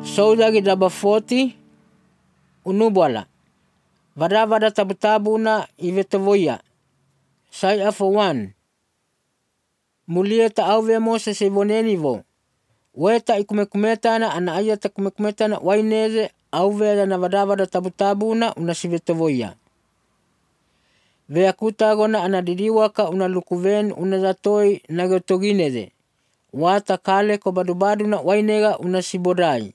Soudagi daba 40 unubwala. Vada tabu-tabuna ivetovoia. Sai for 1. Mulia ta auve Moses ivonenivo. Weta ikumekumeta ana ayata kumekumeta na waineze auve na vada tabu-tabuna unasivetovoia. Vea kutagona anadiriwaka unalukuven unazatoi nagotogineze. Wata kale ko badu na wainega unasibodai.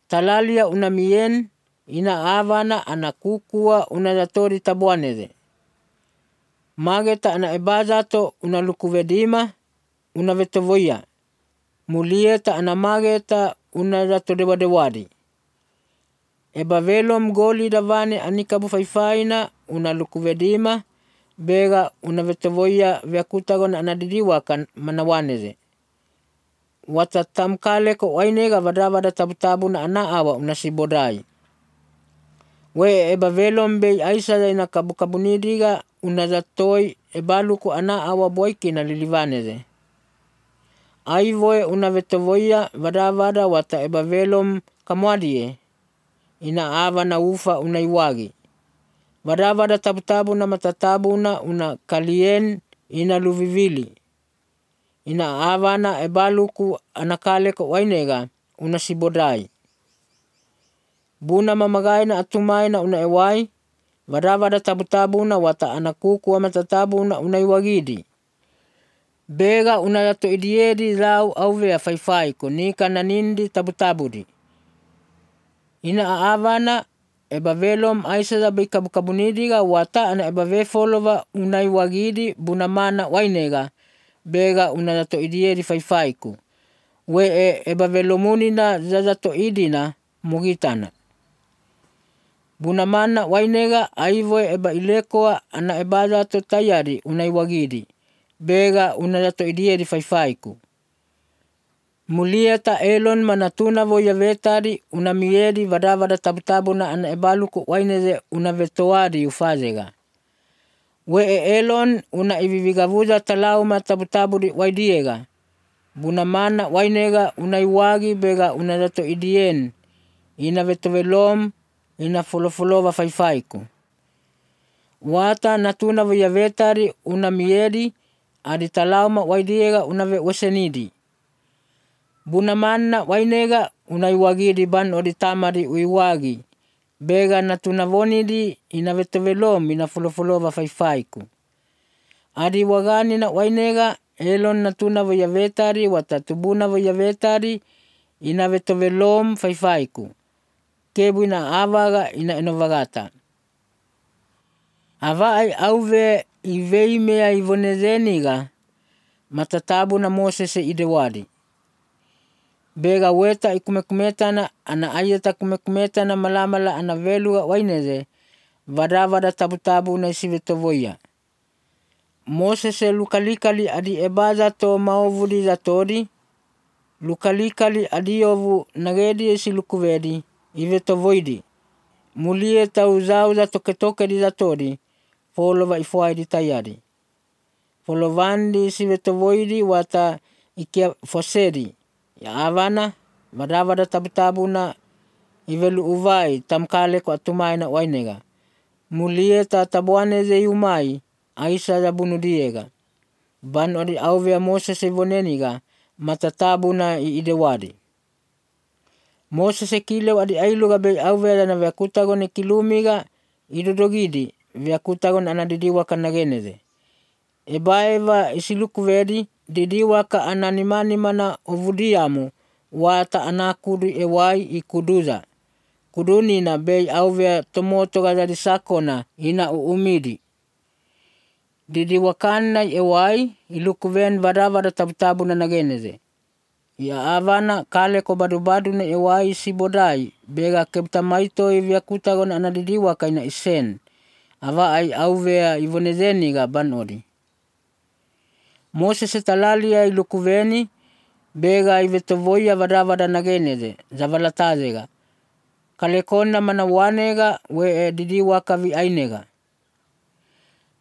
Talalia unamien ina avana anakukua unazatori tabuaneze. Mageta ana ebazato unalukuvedima unavetovoia. Mulieta ana mageta unazato dewadi. Eba velom goli davane anikabu faifaina unalukuvedima bega unavetovoia vyakutagon anadiriwakan manawaneze. Watatamkale ko wainega vada tabu na anaawa unasibodai. We eba velom be aisa ina kabukabunidiga unazatoi ebaluku anaawa boiki na lilivaneze. Aivoe unavetovoia vada wata eba velom kamwadie. Ina ava na ufa unaiwagi. Vada tabu na matatabu na una kalien ina luvivili. Ina ava na ebaluku anakale ko wainega unasibodai. Buna mamagai na atumai na una ewai. Vada tabu na wata anakuku wa matatabu na unaiwagidi. Bega unayato idiedi lau auwea faifai ko nika na nindi tabu-tabudi. Ina avana eba velom aisa zabi kabukabunidiga wata ana eba vefolova unaiwagidi bunamana wainega bega unayato idiedi faifaiku. We eba velomunina zazato idina mugitana. Bunamana wainega aivoe eba ilekoa ana eba zato tayari unaiwagidi bega unayato idiedi faifaiku. Mulieta elon manatuna voya vetari unamiedi vada tabu na ana ebaluku waineze unavetoadi ufazega. We elon una ivivigavuza talau matabu di waidiega. Bunamana wainega unaiwagi bega unazato idien. Ina vetovelom ina folova faifaiku. Wata natuna voya vetari unamiedi adi talau ma waidiega unave wesenidi. Bunamana wainega unaiwagidi ban oditamari uiwagi. Bega natunavonidi inavetovelom ina folova faifaiku. Adi wagani na wainega elon natuna voya vetari watatubuna voya vetari inavetovelom faifaiku. Kebu ina avaga ina enovagata. Avai auve iveimea ivonezeniga matatabu na Moses idewadi. Bega weta ikumekumeta ana ayata kumekumeta na malamala ana veluga waineze vada tabu na isivetovoia. Moses lukalikali adi ebaza to maovudi zatodi. Lukalikali adiovu nagedi esilukuvedi ivetovoidi. Mulie tauzau za toke di zatodi folova ifuai di tayari. Folovandi isivetovoidi wata ikia fosedi. Ya avana, vada tabu na ivelu uvai tamkale ko atumai na wainega. Mulie tabuaneze yumai aisa za bunudiega. Ban odi auwea Moses ivoneniga matatabu na idewadi. Moses kile adi ailuga be auwea na vyakutagon kilumiga idodogidi vyakutagon anadidiwa kanageneze. Ebaeva isilukuvedi didiwaka ananimani mana ovudiamu wata anakudu ewai ikuduza. Kuduni na bei auwea tomoto gazadi sakona ina uumidi. Didiwakana ewai ilukuven vada tabu na nageneze. Ya avana kale ko badu na ewai sibodai bega kebtamaito ivyakutagon anadidiwaka ina isen. Ava ai auwea ivonezeniga banodi. Moses talalia ilukuveni bega ivetovoia vada nageneze zavalatazega. Kalekona manawanega we didiwaka vi ainega.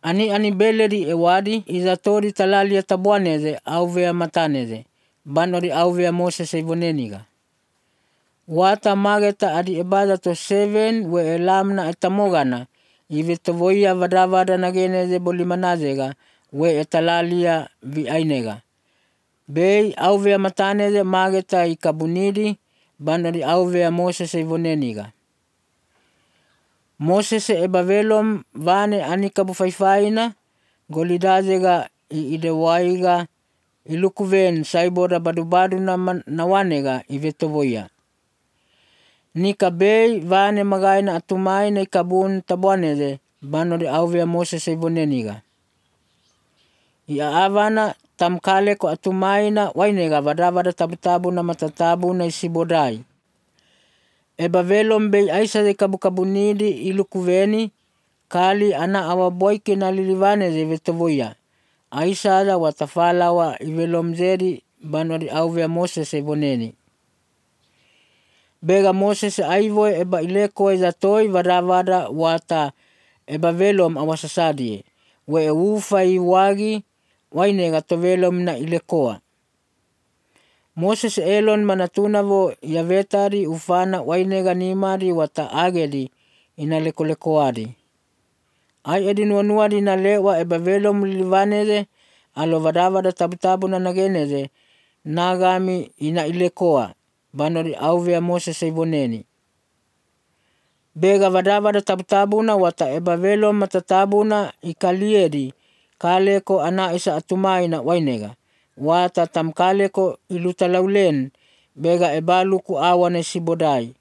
Ani beleri ewadi izatori talalia tabuaneze auwea mataneze. Banori auwea Moses ivoneniga. Wata mageta adi ebada to 7 we elamna etamogana. Ive tovoia vadavada nageneze bolimanazega we etalalia vi ainega. Bei auvea mataneze mageta I kabunidi banori auvea Moses ivoneniga. Moses ebavelom vane anikabu faifaina golidazega I idewaiga ilukuven saiboda badubadu na wanega ivetovoia. Nika bei vane magaina atumai na ikabun tabuaneze banori auvea Moses ivoneniga. Ia avana tamkale ko atumai na wainega vadavada tabutabu na matatabu na isibodai. Eba velom bei aisa de kabukabunidi ilukuveni kali ana awaboike na lilivaneze vetovoia. Aisa ada watafala wa ivelom zedi banori auvea Moses ivoneni. Bega Moses aivoe eba ileko ezatoi vadavada wata eba velom awasasadie. We ufa iwagi wainega tovelom na ilekoa. Moses elon manatunavo yavetari ufana wainega nimari wata agedi inalekolekoadi. Ai edinuanuadi na lewa eba velom lilivaneze alo vadavada tabutabu na nageneze nagami ina ilekoa banori auvea Moses ivoneni. Bega vadavada tabutabuna wata eba velom matatabuna ikaliedi kaleko ana isa atumai na wainega. Wata tamkaleko ilutalaulen bega ebaluku awane sibodai.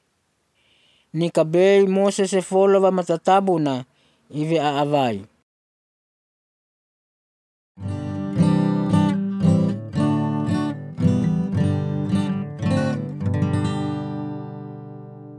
Nika bei Moses folova matatabuna ive aavai.